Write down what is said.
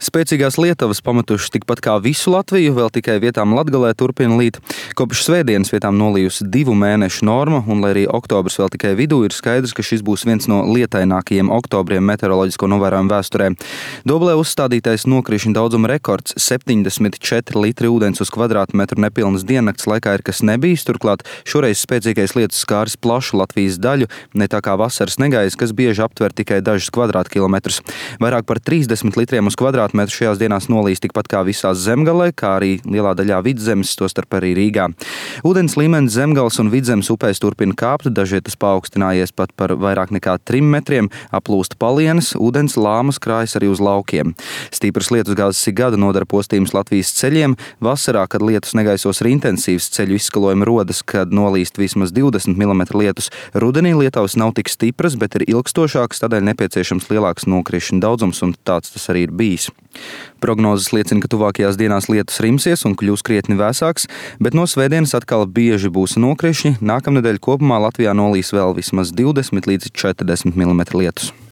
Spēcīgās lietavas pametušas tikpat kā visu Latviju, vēl tikai vietām Latgalē turpina līt. Kopš svētdienas vietām nolījusi 2 mēnešu norma, un lai arī oktobrs vēl tikai vidū, ir skaidrs, ka šis būs viens no lietainākajiem oktobriem meteoroloģisko novērojumu vēsturē. Doblē uzstādītais nokrišņu daudzuma rekords 74 litri ūdens uz kvadrātmetru nepilnas diennakts laikā ir kas nebijis, turklāt šoreiz spēcīgais lietus skāris plašu Latvijas daļu, ne tā kā vasaras negaiss, kas bieži aptver tikai dažus kvadrātkilometrus. Vairāk par 30 litriem uz kvadrātmetru šajās dienās nolīs tikpat kā visās Zemgalē, kā arī lielā daļā Vidzemes, tostarp arī Rīgā. Ūdens līmenis Zemgales un Vidzemes upēs turpina kāpt, dažvietas paaugstinājies pat par vairāk nekā 3 metriem, aplūst palienes, ūdens lāmas krājas arī uz laukiem. Stīpras lietusgāzes ik gadu nodara postījumus Latvijas ceļiem. Vasarā, kad lietus negaisos ir intensīvs, ceļu izskalojumi rodas, kad nolīst vismaz 20 mm lietus. Rudenī lietavas nav tik stipras, bet ir ilgstošākas, tādēļ nepieciešams lielāks nokrišņu daudzums, un tāds tas arī ir bijis. Prognozes liecina, ka tuvākajās dienās lietus rimsies un kļūs krietni vēsāks, bet no svētdienas atkal bieži būs nokrišņi. Nākamnedēļ kopumā Latvijā nolīs vēl vismaz 20 līdz 40 mm lietus.